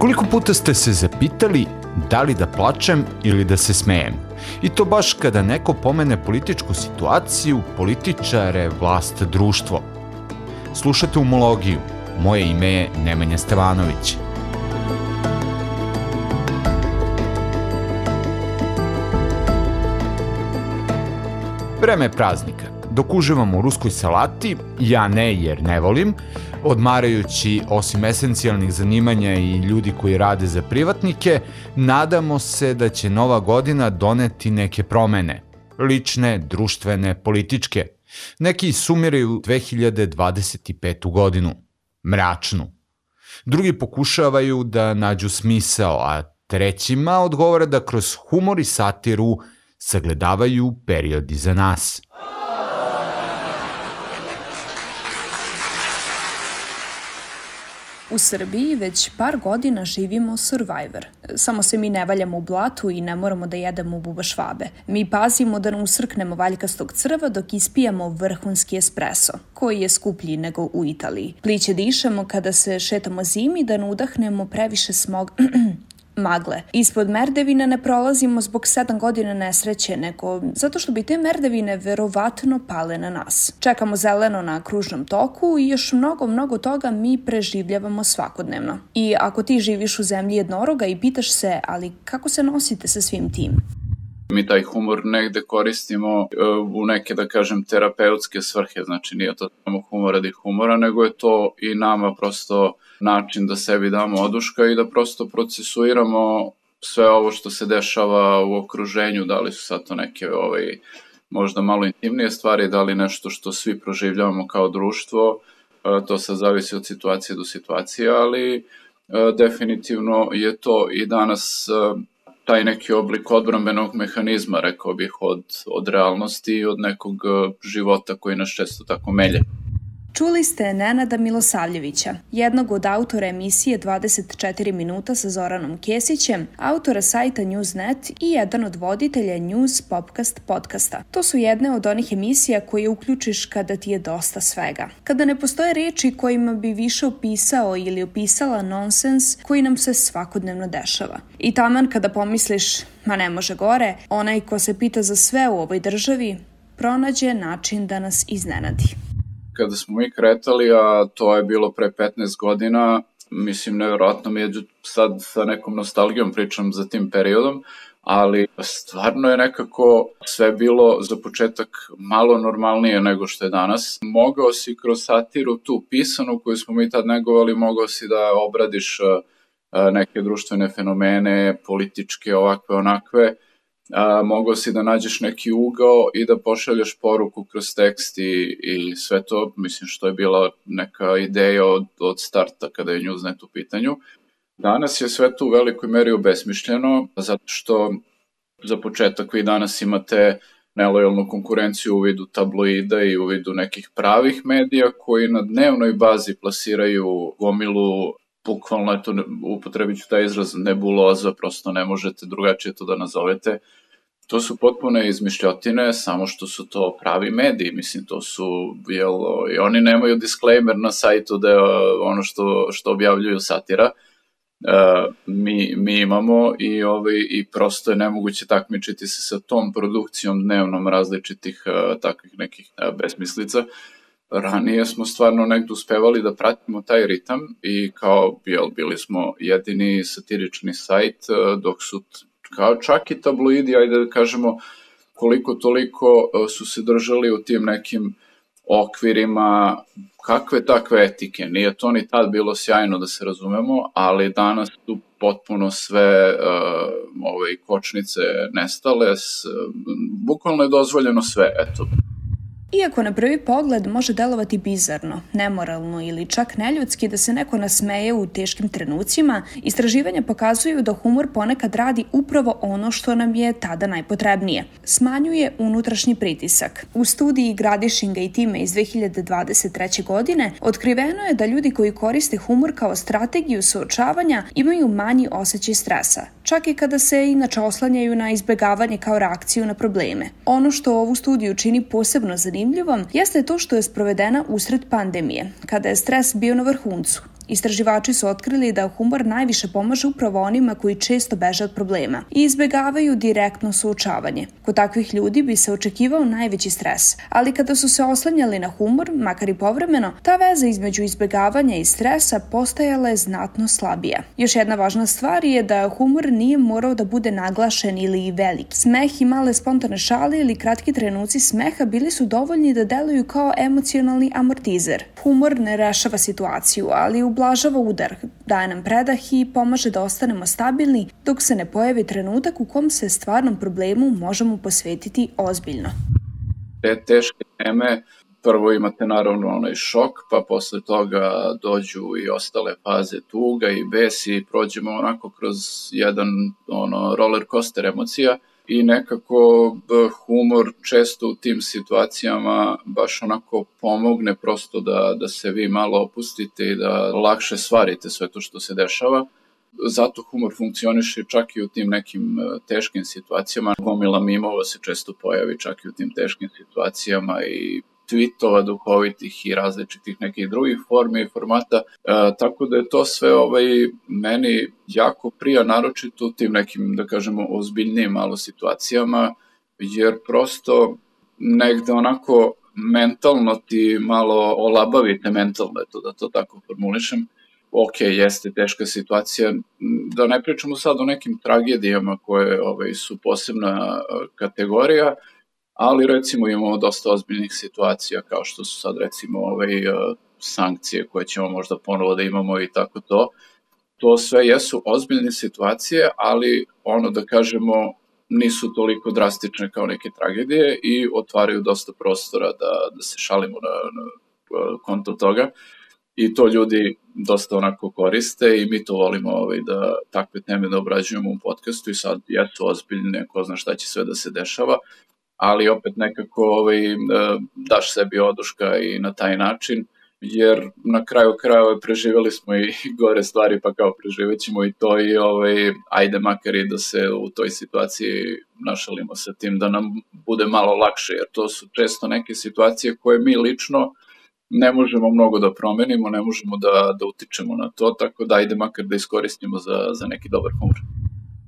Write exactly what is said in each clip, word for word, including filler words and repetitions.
Koliko puta ste se zapitali da li da plačem ili da se smejem? I to baš kada neko pomene političku situaciju, političare, vlast, društvo. Slušate Umologiju. Moje ime je Nemanja Stevanović. Vreme je praznika. Dok uživam u ruskoj salati, ja ne jer ne volim, odmarajući osim esencijalnih zanimanja i ljudi koji rade za privatnike, nadamo se da će nova godina doneti neke promene. Lične, društvene, političke. Neki sumiraju dve hiljade dvadeset petu godinu. Mračnu. Drugi pokušavaju da nađu smisao, a trećima odgovara da kroz humor i satiru sagledavaju period iza nas. U Srbiji već par godina živimo Survivor. Samo se mi ne valjamo u blatu i ne moramo da jedemo bubašvabe. Mi pazimo da ne usrknemo valjkastog crva dok ispijamo vrhunski espresso, koji je skuplji nego u Italiji. Pliće dišemo kada se šetamo zimi da ne udahnemo previše smog... magle. Ispod merdevina ne prolazimo zbog sedam godina nesreće, nego zato što bi te merdevine verovatno pale na nas. Čekamo zeleno na kružnom toku i još mnogo, mnogo toga mi preživljavamo svakodnevno. I ako ti živiš u zemlji jednoroga i pitaš se, ali kako se nosite sa svim tim? Mi taj humor negde koristimo u neke, da kažem, terapeutske svrhe, znači nije to samo humor radi humora, nego je to i nama prosto način da sebi damo oduška i da prosto procesuiramo sve ovo što se dešava u okruženju, da li su sad to neke ovaj, možda malo intimnije stvari, da li nešto što svi proživljavamo kao društvo, to sad zavisi od situacije do situacije, ali definitivno je to i danas taj neki oblik odbrambenog mehanizma, rekao bih, od, od realnosti i od nekog života koji nas često tako melje. Čuli ste Nenada Milosavljevića, jednog od autora emisije dvadeset četiri minuta sa Zoranom Kesićem, autora sajta Newsnet i jedan od voditelja News Popcast podcasta. To su jedne od onih emisija koje uključiš kada ti je dosta svega. Kada ne postoje reči kojima bi više opisao ili opisala nonsens koji nam se svakodnevno dešava. I taman kada pomisliš, ma ne može gore, onaj ko se pita za sve u ovoj državi, pronađe način da nas iznenadi. Kada smo mi kretali, a to je bilo pre petnaest godina, mislim, nevjerojatno mi je sad sa nekom nostalgijom pričam za tim periodom, ali stvarno je nekako sve bilo za početak malo normalnije nego što je danas. Mogao si kroz satiru tu pisanu koju smo mi tad negovali, mogao si da obradiš neke društvene fenomene, političke, ovakve, onakve, A, mogao si da nađeš neki ugao i da pošalješ poruku kroz tekst i, i sve to, mislim što je bila neka ideja od, od starta kada je Newsnet u pitanju. Danas je sve to u velikoj meri obesmišljeno, zato što za početak vi danas imate nelojalnu konkurenciju u vidu tabloida i u vidu nekih pravih medija koji na dnevnoj bazi plasiraju gomilu, bukvalno je to, upotrebit ću taj izraz, nebuloza, prosto ne možete drugačije to da nazovete. To su potpune izmišljotine, samo što su to pravi mediji, mislim, to su, jel, i oni nemaju disclaimer na sajtu da je ono što, što objavljuju satira, uh, mi, mi imamo i, ovaj, i prosto je nemoguće takmičiti se sa tom produkcijom dnevnom različitih uh, takvih nekih uh, besmislica. Ranije smo stvarno negdje uspevali da pratimo taj ritam i kao, jel, bili smo jedini satirični sajt, dok su kao čak i tabloidi, ajde da kažemo, koliko toliko su se držali u tim nekim okvirima kakve takve etike. Nije to ni tad bilo sjajno da se razumemo, ali danas su potpuno sve uh, ove kočnice nestale, s, bukvalno je dozvoljeno sve, eto. Iako na prvi pogled može delovati bizarno, nemoralno ili čak neljudski da se neko nasmeje u teškim trenucima, istraživanja pokazuju da humor ponekad radi upravo ono što nam je tada najpotrebnije. Smanjuje unutrašnji pritisak. U studiji Gradišinga i time iz dve hiljade dvadeset treće. godine otkriveno je da ljudi koji koriste humor kao strategiju suočavanja imaju manji osjećaj stresa, čak i kada se inače oslanjaju na izbegavanje kao reakciju na probleme. Ono što ovu studiju čini posebno zanimljivom jeste to što je sprovedena usred pandemije, kada je stres bio na vrhuncu Istraživači su otkrili da humor najviše pomaže upravo onima koji često beže od problema i izbegavaju direktno suočavanje. Kod takvih ljudi bi se očekivao najveći stres, ali kada su se oslanjali na humor, makar i povremeno, ta veza između izbegavanja i stresa postajala je znatno slabija. Još jedna važna stvar je da humor nije morao da bude naglašen ili velik. Smeh i male spontane šale ili kratki trenuci smeha bili su dovoljni da deluju kao emocionalni amortizer. Humor ne rešava situaciju, ali ublažava udar, daje nam predah i pomaže da ostanemo stabilni dok se ne pojavi trenutak u kom se stvarnom problemu možemo posvetiti ozbiljno. Te teške teme, prvo imate naravno onaj šok, pa posle toga dođu i ostale faze tuga i bes i prođemo onako kroz jedan ono, roller coaster emocija i nekako humor često u tim situacijama baš onako pomogne prosto da, da se vi malo opustite i da lakše svarite sve to što se dešava. Zato humor funkcioniše čak i u tim nekim teškim situacijama. Gomila mimova se često pojavi čak i u tim teškim situacijama i tweetova duhovitih i različitih nekih drugih formi i formata, e, tako da je to sve ovaj, meni jako prija, naročito u tim nekim, da kažemo, ozbiljnijim malo situacijama, jer prosto negde onako mentalno ti malo olabavite mentalno, eto da to tako formulišem. Ok, jeste teška situacija, da ne pričamo sad o nekim tragedijama koje ovaj, su posebna kategorija, ali recimo imamo dosta ozbiljnih situacija kao što su sad recimo ovaj, sankcije koje ćemo možda ponovo da imamo i tako to. To sve jesu ozbiljne situacije, ali ono da kažemo nisu toliko drastične kao neke tragedije i otvaraju dosta prostora da, da se šalimo na, na konto toga. I to ljudi dosta onako koriste i mi to volimo ovaj, da takve teme da obrađujemo u podcastu i sad jesu ozbiljne, ko zna šta će sve da se dešava, ali opet nekako ovaj, daš sebi oduška i na taj način, jer na kraju krajeva preživjeli smo i gore stvari, pa kao preživećemo i to i ovaj, ajde makar i da se u toj situaciji našalimo sa tim, da nam bude malo lakše, jer to su često neke situacije koje mi lično ne možemo mnogo da promenimo, ne možemo da, da utičemo na to, tako da ajde makar da iskoristimo za, za neki dobar humor.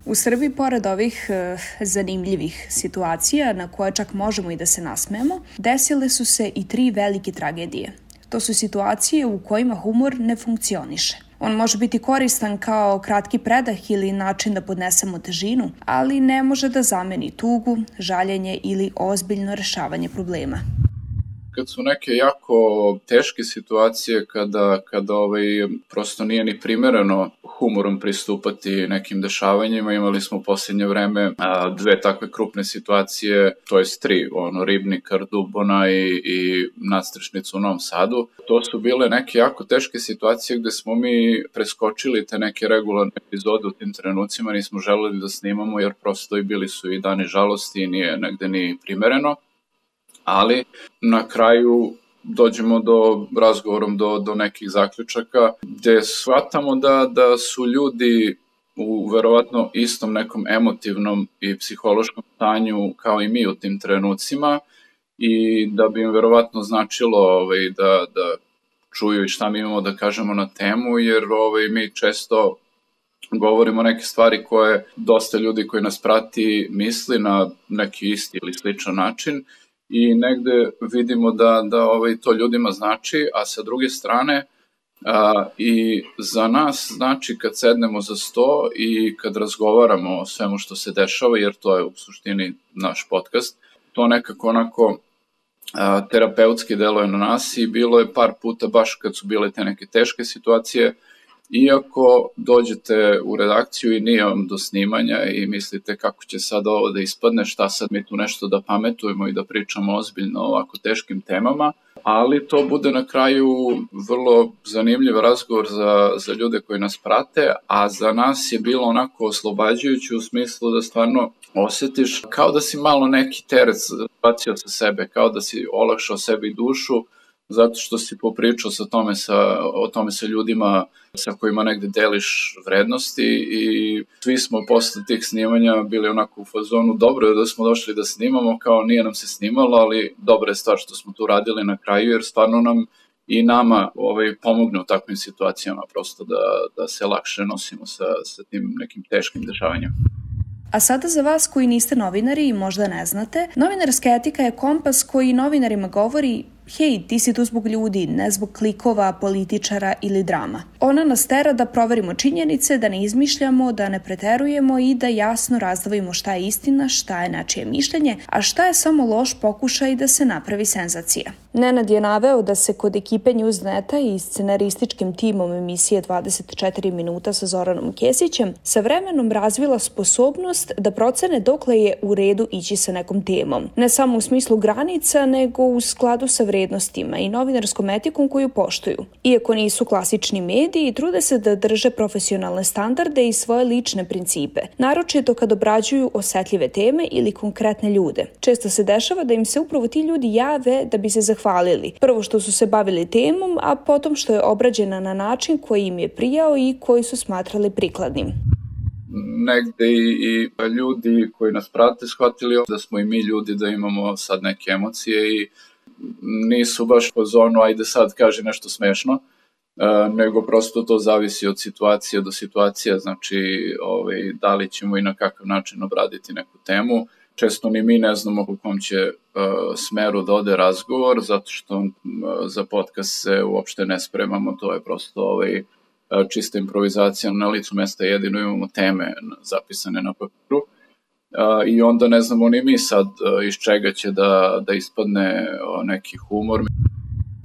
U Srbiji, pored ovih e, zanimljivih situacija na koje čak možemo i da se nasmejemo, desile su se i tri velike tragedije. To su situacije u kojima humor ne funkcioniše. On može biti koristan kao kratki predah ili način da podnesemo težinu, ali ne može da zameni tugu, žaljenje ili ozbiljno rešavanje problema. Kad su neke jako teške situacije, kada, kada ovaj, prosto nije ni primereno humorom pristupati nekim dešavanjima, imali smo u posljednje vreme a, dve takve krupne situacije, to jest tri, ono, Ribnikar, Dubona i, i nadstrešnicu u Novom Sadu. To su bile neke jako teške situacije gde smo mi preskočili te neke regularne epizode u tim trenucima, nismo želeli da snimamo jer prosto i bili su i dani žalosti i nije negde ni primereno. Ali na kraju dođemo do razgovorom do, do nekih zaključaka gde shvatamo da, da su ljudi u verovatno istom nekom emotivnom i psihološkom stanju kao i mi u tim trenucima i da bi im verovatno značilo ovaj, da, da čuju i šta mi imamo da kažemo na temu, jer ovaj, mi često govorimo neke stvari koje dosta ljudi koji nas prati misli na neki isti ili sličan način i negde vidimo da, da ovaj, to ljudima znači, a sa druge strane a, i za nas znači kad sednemo za sto i kad razgovaramo o svemu što se dešava, jer to je u suštini naš podcast, to nekako onako a, terapeutski deluje na nas i bilo je par puta baš kad su bile te neke teške situacije, iako dođete u redakciju i nije vam do snimanja i mislite kako će sad ovo da ispadne, šta sad mi tu nešto da pametujemo i da pričamo ozbiljno o ovako teškim temama, ali to bude na kraju vrlo zanimljiv razgovor za, za ljude koji nas prate, a za nas je bilo onako oslobađajuće u smislu da stvarno osjetiš kao da si malo neki teret bacio sa sebe, kao da si olakšao sebi dušu, zato što si popričao sa tome sa, o tome sa ljudima sa kojima negde deliš vrednosti i svi smo posle tih snimanja bili onako u fazonu, dobro je da smo došli da snimamo, kao nije nam se snimalo, ali dobra je stvar što smo tu radili na kraju, jer stvarno nam i nama ovaj, pomogne u takvim situacijama prosto da, da se lakše nosimo sa, sa tim nekim teškim dešavanjima. A sada za vas koji niste novinari i možda ne znate, novinarska etika je kompas koji novinarima govori: hej, ti si tu zbog ljudi, ne zbog klikova, političara ili drama. Ona nas tera da proverimo činjenice, da ne izmišljamo, da ne preterujemo i da jasno razdvojimo šta je istina, šta je nečije mišljenje, a šta je samo loš pokušaj da se napravi senzacija. Nenad je naveo da se kod ekipe Newsneta i scenarističkim timom emisije dvadeset četiri minuta sa Zoranom Kesićem sa vremenom razvila sposobnost da procene dokle je u redu ići sa nekom temom. Ne samo u smislu granica, nego u skladu sa vrednostima i novinarskom etikom koju poštuju. Iako nisu klasični mediji, trude se da drže profesionalne standarde i svoje lične principe, naročito kad obrađuju osetljive teme ili konkretne ljude. Često se dešava da im se upravo ti ljudi jave da bi se zahvalili. Prvo što su se bavili temom, a potom što je obrađena na način koji im je prijao i koji su smatrali prikladnim. Negde i, i ljudi koji nas prate shvatili da smo i mi ljudi, da imamo sad neke emocije i nisu baš po zonu ajde sad kaže nešto smešno, nego prosto to zavisi od situacije do situacije, znači ovaj, da li ćemo i na kakav način obraditi neku temu. Često ni mi ne znamo u kom će uh, smeru da ode razgovor, zato što uh, za podcast se uopšte ne spremamo, to je prosto ovaj, čista improvizacija, na licu mesta jedino imamo teme zapisane na papiru uh, i onda ne znamo ni mi sad uh, iz čega će da, da ispadne uh, neki humor.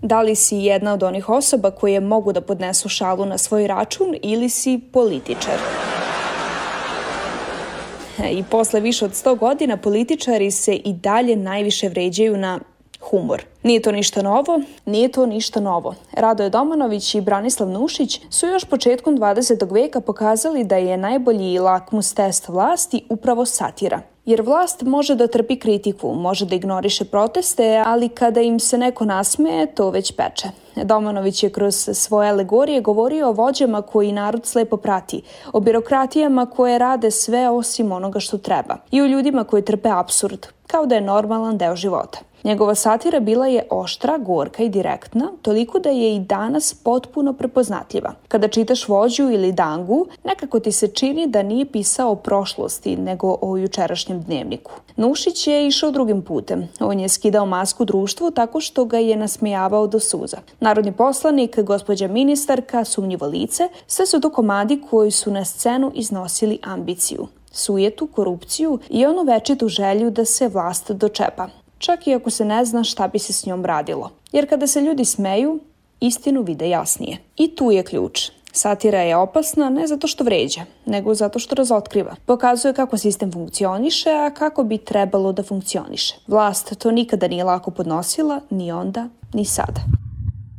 Da li si jedna od onih osoba koje mogu da podnesu šalu na svoj račun ili si političar? I posle više od sto godina političari se i dalje najviše vređaju na humor. Nije to ništa novo, nije to ništa novo. Radoje Domanović i Branislav Nušić su još početkom dvadesetog veka pokazali da je najbolji lakmus test vlasti upravo satira. Jer vlast može da trpi kritiku, može da ignoriše proteste, ali kada im se neko nasmeje, to već peče. Domanović je kroz svoje alegorije govorio o vođama koji narod slepo prati, o birokratijama koje rade sve osim onoga što treba i o ljudima koji trpe apsurd, kao da je normalan deo života. Njegova satira bila je oštra, gorka i direktna, toliko da je i danas potpuno prepoznatljiva. Kada čitaš Vođu ili Dangu, nekako ti se čini da nije pisao o prošlosti, nego o jučerašnjem dnevniku. Nušić je išao drugim putem. On je skidao masku društvu tako što ga je nasmejavao do suza. Narodni poslanik, gospođa ministarka, sumnjivo lice, sve su to komadi koji su na scenu iznosili ambiciju, sujetu, korupciju i onu večitu želju da se vlast dočepa. Čak i ako se ne zna šta bi se s njom radilo. Jer kada se ljudi smeju, istinu vide jasnije. I tu je ključ. Satira je opasna ne zato što vređa, nego zato što razotkriva. Pokazuje kako sistem funkcioniše, a kako bi trebalo da funkcioniše. Vlast to nikada nije lako podnosila, ni onda, ni sada.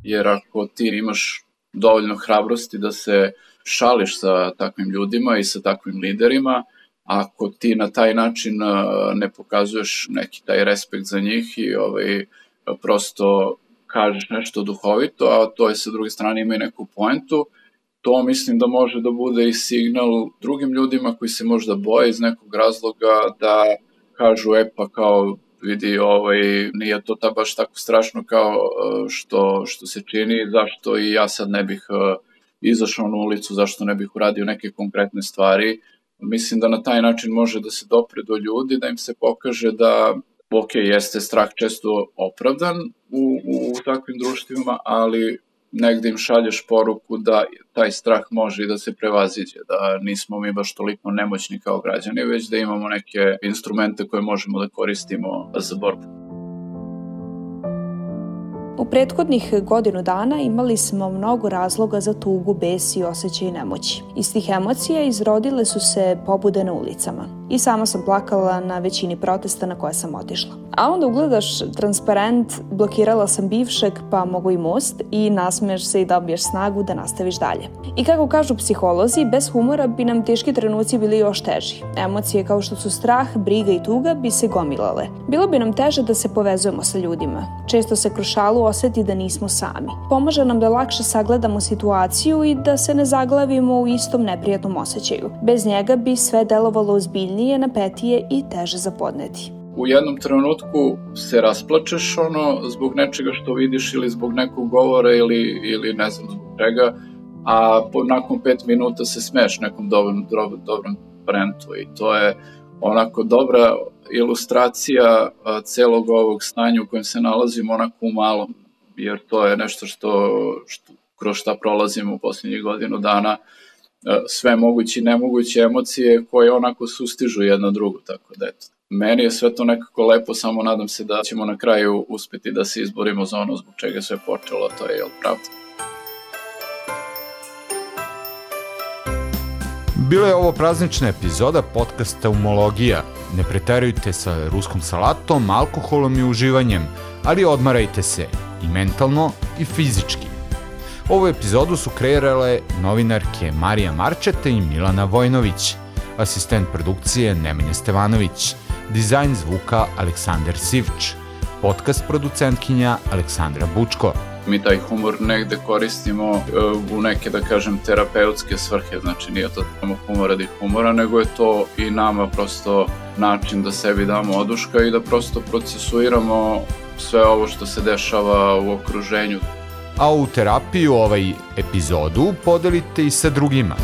Jer ako ti imaš dovoljno hrabrosti da se šališ sa takvim ljudima i sa takvim liderima, ako ti na taj način ne pokazuješ neki taj respekt za njih i ovaj, prosto kažeš nešto duhovito, a to je sa druge strane ima i neku poentu, to mislim da može da bude i signal drugim ljudima koji se možda boje iz nekog razloga da kažu e pa kao vidi ovaj, nije to ta baš tako strašno kao što, što se čini, zašto i ja sad ne bih izašao na ulicu, zašto ne bih uradio neke konkretne stvari. Mislim da na taj način može da se dopre do ljudi, da im se pokaže da, ok, jeste strah često opravdan u, u, u takvim društvima, ali negde im šalješ poruku da taj strah može i da se prevaziđe, da nismo mi baš toliko nemoćni kao građani, već da imamo neke instrumente koje možemo da koristimo za borbu. U prethodnih godinu dana imali smo mnogo razloga za tugu, bes i osjećaj nemoći. Iz tih emocija izrodile su se pobude na ulicama. I sama sam plakala na većini protesta na koje sam otišla. A onda ugledaš transparent, blokirala sam bivšeg, pa mogu i most i nasmeješ se i dobiješ snagu da nastaviš dalje. I kako kažu psiholozi, bez humora bi nam teški trenuci bili još teži. Emocije kao što su strah, briga i tuga bi se gomilale. Bilo bi nam teže da se povezujemo sa ljudima. Često se kroz šalu oseti da nismo sami. Pomaže nam da lakše sagledamo situaciju i da se ne zaglavimo u istom neprijatnom osjećaju. Bez njega bi sve delovalo ozbiljnije, napetije i teže za podneti. u jednom trenutku se rasplačeš ono zbog nečega što vidiš ili zbog nekog govora ili, ili ne znam zbog čega, a po, nakon pet minuta se smeješ nekom dobrom, dobrom, dobrom brentu i to je onako dobra ilustracija a, celog ovog stanja u kojem se nalazimo onako u malom, jer to je nešto što, što kroz šta prolazimo u posljednjih godinu dana, a, sve moguće i nemoguće emocije koje onako sustižu jedna drugu, tako da eto. Meni je sve to nekako lepo, samo nadam se da ćemo na kraju uspeti da se izborimo za ono zbog čega sve počelo, to je jel pravda. Bila je ovo praznična epizoda podcasta Umologija. Ne preterujte sa ruskom salatom, alkoholom i uživanjem, ali odmarajte se i mentalno i fizički. Ovu epizodu su kreirale novinarke Marija Marčeta i Milana Vojnović, asistent produkcije Nemanja Stevanović, dizajn zvuka Aleksandar Sivč, podcast producentkinja Aleksandra Bučko. Mi taj humor negde koristimo u neke, da kažem, terapeutske svrhe, znači nije to samo humor radi humora, nego je to i nama prosto način da sebi damo oduška i da prosto procesuiramo sve ovo što se dešava u okruženju. A u terapiju ovaj epizodu podelite i sa drugima.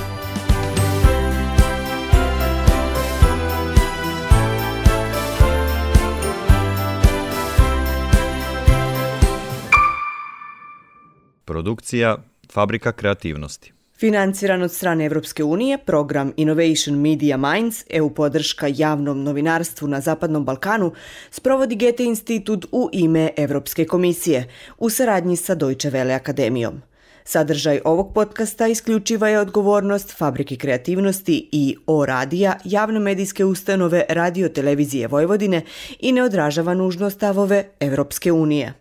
Produkcija Fabrika kreativnosti. Financiran od strane Evropske unije, program Innovation Media Minds, E U podrška javnom novinarstvu na Zapadnom Balkanu, sprovodi Goethe institut u ime Evropske komisije, u saradnji sa Deutsche Welle akademijom. Sadržaj ovog podcasta isključiva je odgovornost Fabrike kreativnosti i O radija, javne medijske ustanove Radio Televizije Vojvodine i ne odražava nužno stavove Evropske unije.